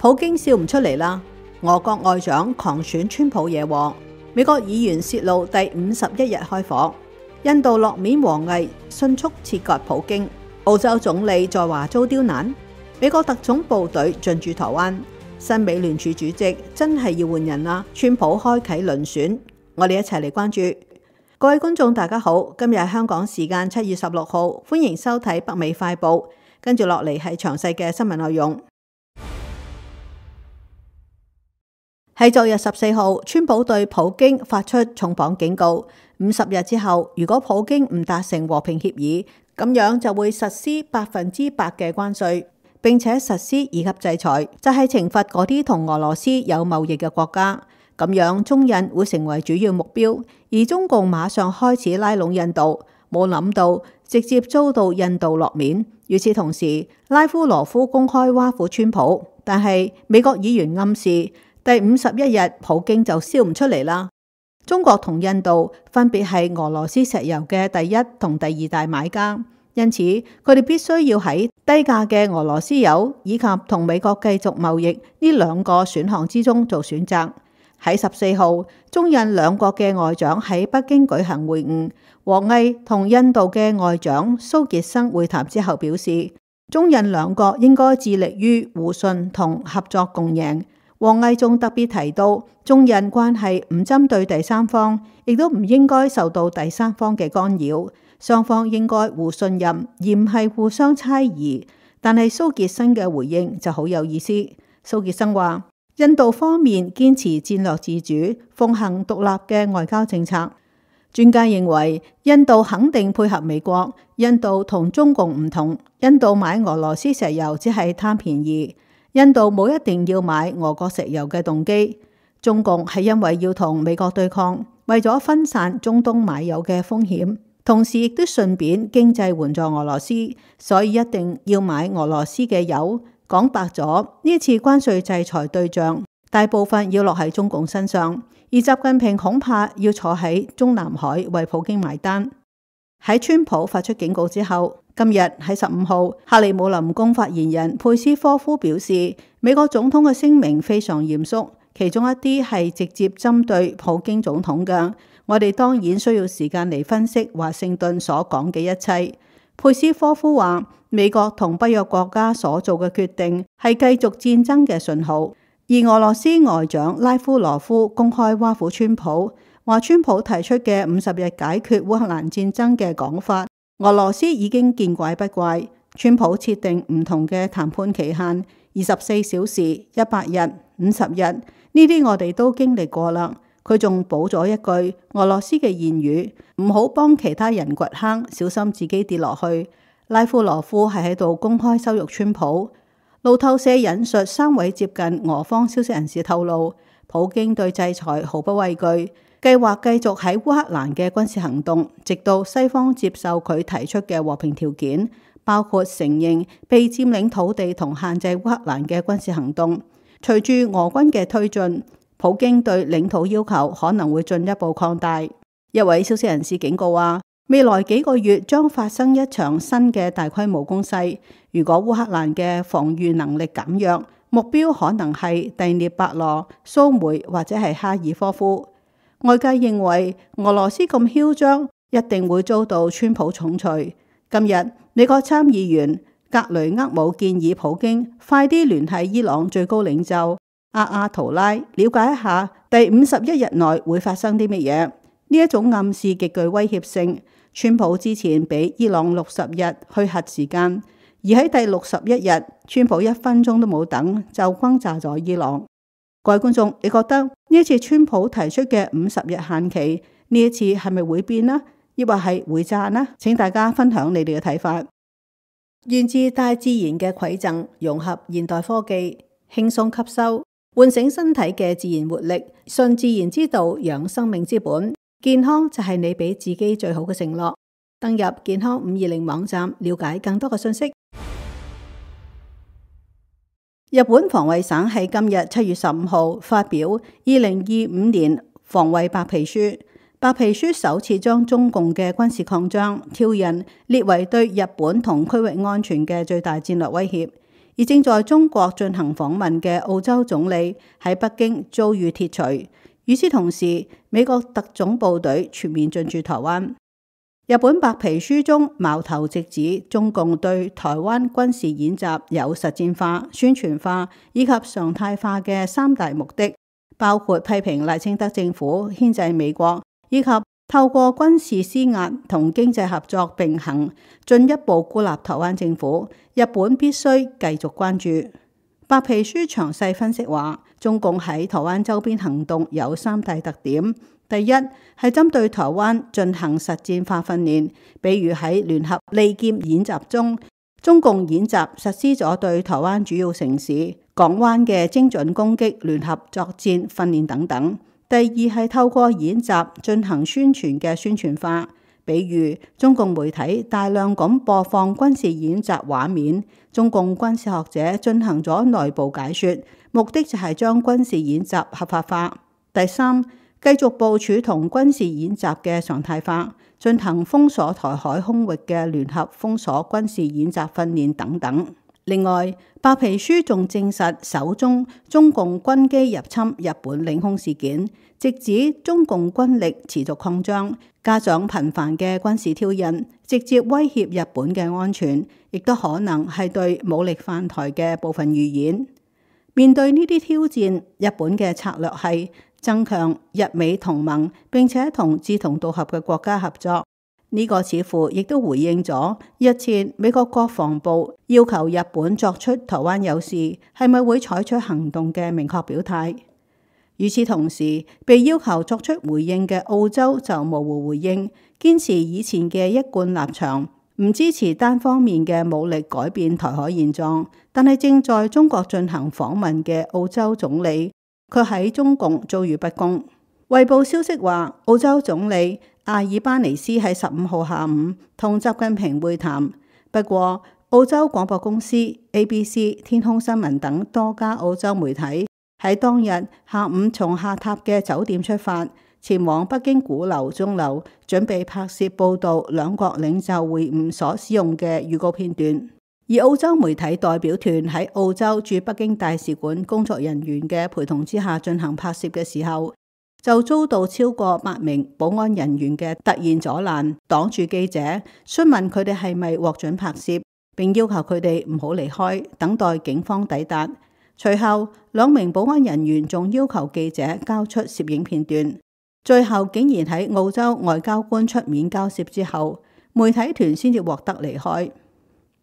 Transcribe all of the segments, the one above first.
普京笑唔出嚟啦。俄國外長狂選川普惹禍，美國議員泄露第51日開火，印度落面王毅迅速切割普京，澳洲總理在華遭刁難，美國特種部隊進駐台灣，新美聯儲主席真係要換人啦，川普開啟輪選，我哋一齊嚟關注。各位觀眾大家好，今日係香港時間7月16號，歡迎收睇北美快報，跟住落嚟係詳細嘅新聞內容。喺昨日14號，川普對普京發出重磅警告，50日之後，如果普京唔達成和平協議，咁樣就會實施100%嘅關稅，並且實施2級制裁，就係懲罰嗰啲同俄羅斯有貿易嘅國家。咁樣中印會成為主要目標，而中共馬上開始拉攏印度，冇諗到直接遭到印度落面。與此同時，拉夫羅夫公開挖苦川普，但係美國議員暗示第51日普京就笑唔出嚟啦。中國同印度分別係俄羅斯石油嘅第一同第二大買家，因此佢哋必須要喺低價嘅俄羅斯油以及同美國繼續貿易呢兩個選項之中做選擇。喺14號，中印兩國嘅外長喺北京舉行會晤，王毅同印度嘅外長蘇傑生會談之後表示，中印兩國應該致力於互信同合作共贏。王毅仲特別提到，中印關係唔針對第三方，亦都唔應該受到第三方嘅干擾，雙方應該互信任，而唔係互相猜疑。但係蘇傑生嘅回應就好有意思。蘇傑生話，印度方面堅持戰略自主，奉行獨立嘅外交政策。專家認為，印度肯定配合美國。印度同中共唔同，印度買俄羅斯石油只係貪便宜。印度冇一定要買俄國石油嘅動機，中共係因為要同美國對抗，為咗分散中東買油嘅風險，同時亦都順便經濟援助俄羅斯，所以一定要買俄羅斯嘅油。講白咗，呢次關稅制裁對象大部分要落喺中共身上，而習近平恐怕要坐喺中南海為普京埋單。喺川普發出警告之後，今日喺15號，克里姆林宮發言人佩斯科夫表示，美國總統嘅聲明非常嚴肅，其中一啲係直接針對普京總統嘅。我哋當然需要時間嚟分析華盛頓所講嘅一切。佩斯科夫話，美國同北約國家所做嘅決定係繼續戰爭嘅信號，而俄羅斯外長拉夫羅夫公開挖苦川普，話川普提出嘅50日解決烏克蘭戰爭嘅講法，俄羅斯已經見怪不怪。川普設定唔同嘅談判期限，24小時、100日、50日，呢啲我哋都經歷過啦。佢仲補咗一句俄羅斯嘅諺語，唔好幫其他人掘坑，小心自己跌落去。拉夫羅夫係喺度公開羞辱川普。路透社引述3位接近俄方消息人士透露，普京對制裁毫不畏懼，計劃繼續喺烏克蘭嘅軍事行動，直到西方接受佢提出嘅和平條件，包括承認被佔領土地同限制烏克蘭嘅軍事行動。隨住俄軍嘅推進，普京對領土要求可能會進一步擴大。一位消息人士警告話，未來幾個月將發生一場新嘅大規模攻勢。如果烏克蘭嘅防禦能力減弱，目標可能係第聶伯羅、蘇梅或者係哈爾科夫。外界認為俄羅斯咁囂張，一定會遭到川普重錘。今日美國參議員格雷厄姆建議普京快啲聯繫伊朗最高領袖阿亞圖拉，了解一下第51日內會發生啲乜嘢。呢一種暗示極具威脅性。川普之前俾伊朗60日去核時間，而喺第61日，川普1分鐘都冇等就轟炸咗伊朗。各位觀眾，你覺得呢一次川普提出嘅50日限期，呢一次係咪會變呢？抑或係會炸呢？請大家分享你哋嘅睇法。源自大自然嘅饋贈，融合現代科技，輕鬆吸收，喚醒身體嘅自然活力，順自然之道，養生命之本。健康就係你俾自己最好嘅承諾。登入健康520網站，了解更多嘅信息。日本防衛省喺今日7月15號發表2025年防衛白皮書。白皮書首次將中共嘅軍事擴張、挑釁列為對日本同區域安全嘅最大戰略威脅。而正在中國進行訪問嘅澳洲總理喺北京遭遇鐵錘。與此同時，美國特種部隊全面進駐台灣。日本白皮書中矛頭直指中共對台灣軍事演習有實戰化、宣傳化以及常態化嘅三大目的，包括批評賴清德政府牽制美國，以及透過軍事施壓同經濟合作並行，進一步孤立台灣政府。日本必須繼續關注。白皮書詳細分析話，中共喺台灣周邊行動有三大特點。第一係針對台灣進行實戰化訓練，比如喺聯合利劍演習中，中共演習實施咗對台灣主要城市、港灣嘅精準攻擊聯合作戰訓練等等。第二係透過演習進行宣傳嘅宣傳化，比如中共媒體大量咁播放軍事演習畫面，中共軍事學者進行咗內部解說，目的就係將軍事演習合法化。第三，繼續部署同軍事演習嘅常態化，進行封鎖台海空域嘅聯合封鎖軍事演習訓練等等。另外，白皮書仲證實首宗中共軍機入侵日本領空事件，直指中共軍力持續擴張，加上頻繁嘅軍事挑釁，直接威脅日本嘅安全，亦都可能係對武力犯台嘅部分預演。面對呢啲挑戰，日本嘅策略係增強日美同盟，並且同志同道合嘅國家合作。呢個似乎亦都回應咗日前美國國防部要求日本作出台灣有事係咪會採取行動嘅明確表態。與此同時，被要求作出回應嘅澳洲就模糊回應，堅持以前嘅一貫立場，唔支持單方面嘅武力改變台海現狀。但係正在中國進行訪問嘅澳洲總理，佢喺中共遭遇不公。衛報消息話，澳洲總理阿爾巴尼斯喺15號下午同習近平會談。不過，澳洲廣播公司、ABC、天空新聞等多家澳洲媒體喺當日下午從下榻嘅酒店出發，前往北京鼓樓鐘樓，準備拍攝報導兩國領袖會晤所使用嘅預告片段。而澳洲媒體代表團喺澳洲駐北京大使館工作人員嘅陪同之下進行拍攝嘅時候，就遭到超過8名保安人員嘅突然阻攔，擋住記者，詢問佢哋係咪獲准拍攝，並要求佢哋唔好離開，等待警方抵達。隨後2名保安人員仲要求記者交出攝影片段，最後竟然喺澳洲外交官出面交涉之後，媒體團先至獲得離開。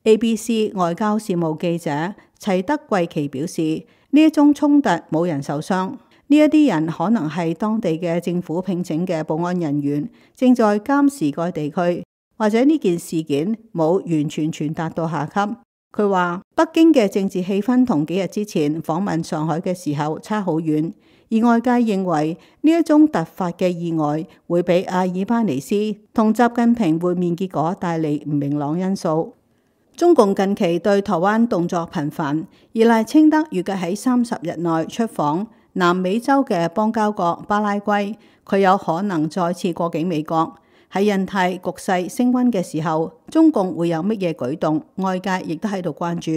ABC 外交事務記者齊德貴奇表示，呢一宗衝突冇人受傷，呢一啲人可能係當地嘅政府聘請嘅保安人員，正在監視該地區，或者呢件事件冇完全傳達到下級。佢話北京嘅政治氣氛同幾日之前訪問上海嘅時候差好遠，而外界認為呢一宗突發嘅意外會俾阿爾巴尼斯同習近平會面結果帶嚟唔明朗因素。中共近期對台灣動作頻繁，而賴清德預計喺30日內出訪南美洲嘅邦交國巴拉圭，佢有可能再次過境美國。喺印太局勢升溫嘅時候，中共會有乜嘢舉動？外界亦都喺度關注。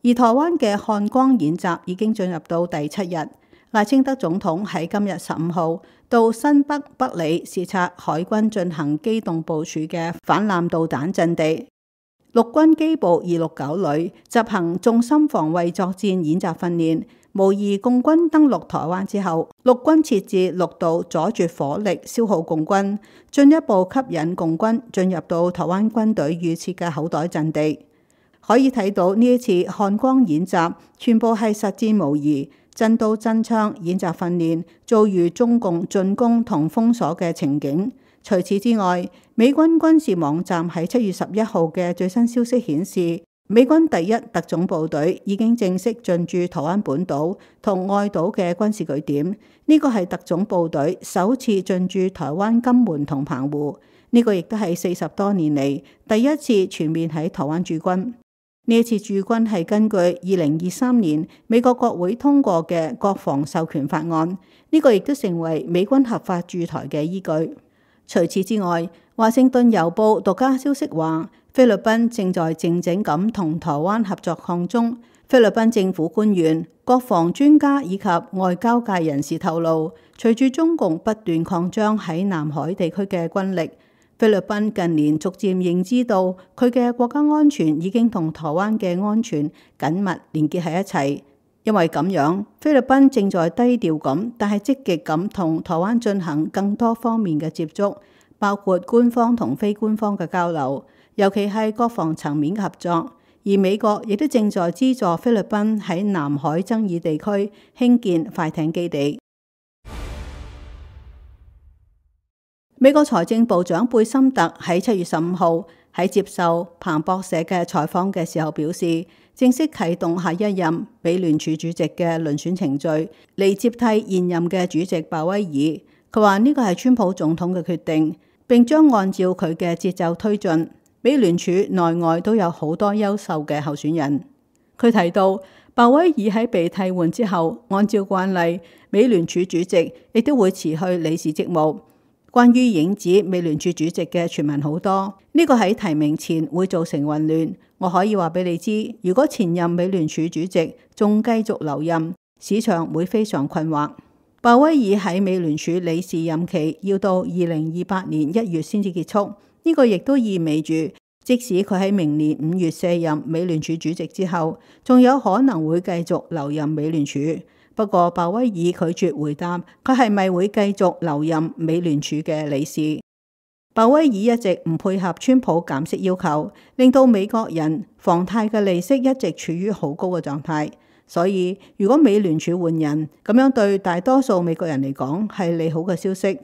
而台灣嘅漢光演習已經進入到第7日，賴清德總統喺今日15號到新北北里視察海軍進行機動部署嘅反艦導彈陣地。陸軍機部269旅執行重心防衛作戰演習訓練，模擬共軍登陸台灣之後，陸軍設置陸道阻絕火力消耗共軍，進一步吸引共軍進入到台灣軍隊預設嘅口袋陣地。可以睇到呢一次漢光演習全部係實戰模擬，真刀真槍演習訓練，遭遇中共進攻同封鎖嘅情景。除此之外，美軍軍事網站喺7月11號嘅最新消息顯示，美軍第1特種部隊已經正式進駐台灣本島同外島嘅軍事據點。呢個係特種部隊首次進駐台灣金門同澎湖，呢個亦都係40多年嚟第一次全面喺台灣駐軍。呢一次駐軍係根據2023年美國國會通過嘅國防授權法案，呢個亦都成為美軍合法駐台嘅依據。除此之外，華盛頓郵報獨家消息話，菲律賓正在靜靜咁同台灣合作抗中。菲律賓政府官員、國防專家以及外交界人士透露，隨住中共不斷擴張喺南海地區嘅軍力，菲律賓近年逐漸認知到佢嘅國家安全已經同台灣嘅安全緊密連結喺一齊。因為咁樣，菲律賓正在低調咁，但係積極咁同台灣進行更多方面嘅接觸，包括官方同非官方嘅交流，尤其係國防層面嘅合作。而美國亦都正在資助菲律賓喺南海爭議地區興建快艇基地。美國財政部長貝森特喺7月15號喺接受彭博社嘅採訪嘅時候表示，正式啟動下一任美聯儲主席嘅遴選程序，嚟接替現任嘅主席鮑威爾。佢話呢個係川普總統嘅決定，並將按照佢嘅節奏推進。美聯儲內外都有好多優秀嘅候選人。佢提到，鮑威爾喺被替換之後，按照慣例，美聯儲主席亦都會辭去理事職務。關於影子美聯儲主席嘅傳聞好多，呢個喺提名前會造成混亂。我可以話俾你知，如果前任美聯儲主席仲繼續留任，市場會非常困惑。鮑威爾喺美聯儲理事任期要到2028年1月先至結束。呢個亦都意味住，即使佢喺明年5月卸任美聯儲主席之後，仲有可能會繼續留任美聯儲。不過鮑威爾拒絕回答佢係咪會繼續留任美聯儲嘅理事。鮑威爾一直唔配合川普減息要求，令到美國人房貸嘅利息一直處於好高嘅狀態。所以如果美聯儲換人，咁樣對大多數美國人嚟講係利好嘅消息。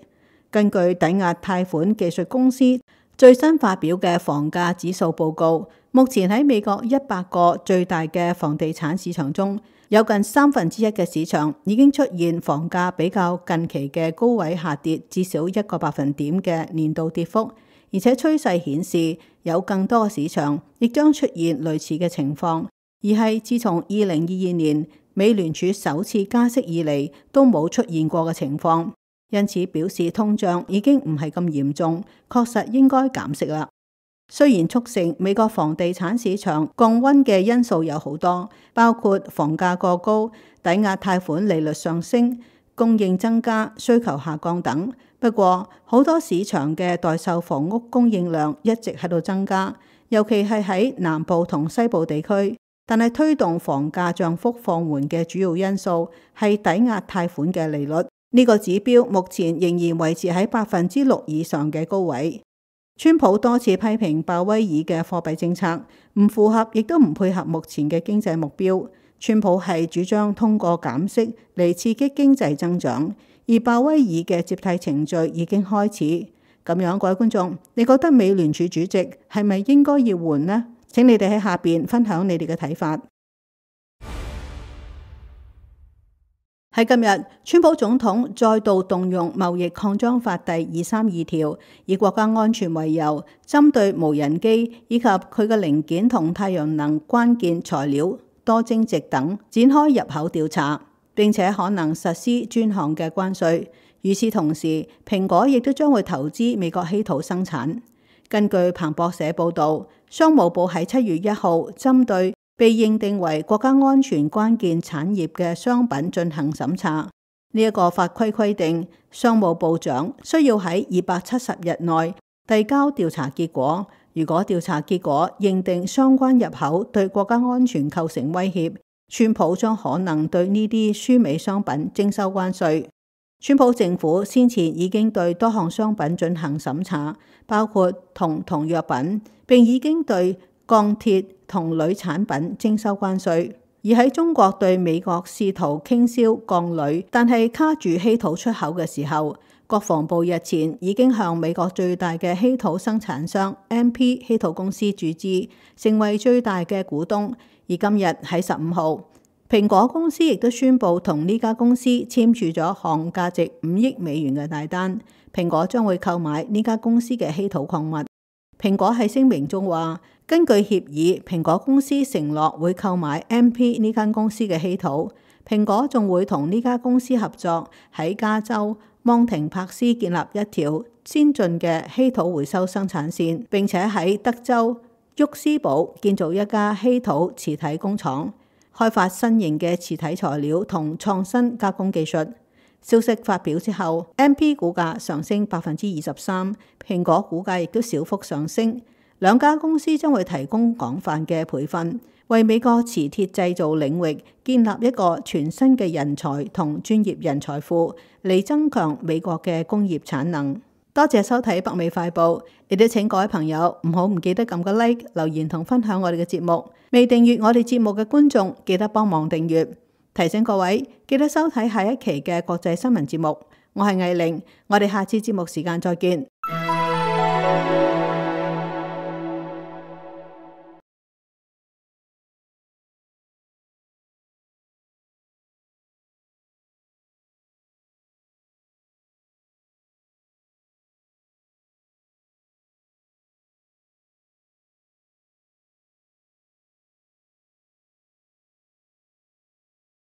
根據抵押貸款技術公司最新發表嘅房價指數報告，目前喺美國100個最大嘅房地產市場中，有近1/3嘅市場已經出現房價比較近期嘅高位下跌至少1個百分點嘅年度跌幅，而且趨勢顯示有更多嘅市場亦將出現類似嘅情況，而係自從2022年美聯儲首次加息以嚟都冇出現過嘅情況。因此表示通脹已經唔係咁嚴重，確實應該減息啦。雖然促成美國房地產市場降溫嘅因素有好多，包括房價過高、抵押貸款利率上升、供應增加、需求下降等。不過好多市場嘅待售房屋供應量一直喺度增加，尤其係喺南部同西部地區。但係推動房價漲幅放緩嘅主要因素係抵押貸款嘅利率。呢個指標目前仍然維持喺6%以上嘅高位。川普多次批評鮑威爾嘅貨幣政策唔符合，亦都唔配合目前嘅經濟目標。川普係主張通過減息嚟刺激經濟增長，而鮑威爾嘅接替程序已經開始。咁樣，各位觀眾，你覺得美聯儲主席係咪應該要換呢？請你哋喺下邊分享你哋嘅睇法。喺今日，川普總統再度動用貿易擴張法第232條，以國家安全為由，針對無人機以及佢嘅零件同太陽能關鍵材料、多晶矽等展開入口調查，並且可能實施專項嘅關稅。與此同時，蘋果亦都將會投資美國稀土生產。根據彭博社報導，商務部喺7月1號針對被認定為國家安全關鍵產業嘅商品進行審查。呢一個法規規定，商務部長需要喺270日內遞交調查結果。如果調查結果認定相關入口對國家安全構成威脅，川普將可能對呢啲輸美商品徵收關稅。川普政府先前已經對多項商品進行審查，包括銅同藥品，並已經對鋼鐵同鋁產品徵收關稅。而喺中國對美國試圖傾銷鋼鋁，但係卡住稀土出口嘅時候，國防部日前已經向美國最大嘅稀土生產商 MP 稀土公司注資，成為最大嘅股東。而今日喺15號，蘋果公司亦都宣布同呢家公司簽署咗項價值5億美元嘅大單，蘋果將會購買呢家公司嘅稀土礦物。蘋果喺聲明中話，根據協議，蘋果公司承諾會購買 MP 呢間公司嘅稀土。蘋果仲會同呢家公司合作，喺加州芒廷帕斯建立一條先進嘅稀土回收生產線，並且喺德州沃斯堡建造一家稀土磁體工廠。開發新型嘅磁體材料同創新加工技術。消息發表之後，MP 股價上升23%，蘋果股價亦都小幅上升。兩家公司將會提供廣泛嘅培訓，為美國磁鐵製造領域建立一個全新嘅人才同專業人才庫，嚟增強美國嘅工業產能。多謝收睇北美快報，亦都請各位朋友唔記得撳個 like、留言同分享我哋嘅節目。未訂閱我哋節目嘅觀眾，記得幫忙訂閱。提醒各位，記得收睇下一期嘅國際新聞節目。我係藝玲，我哋下次節目時間再見。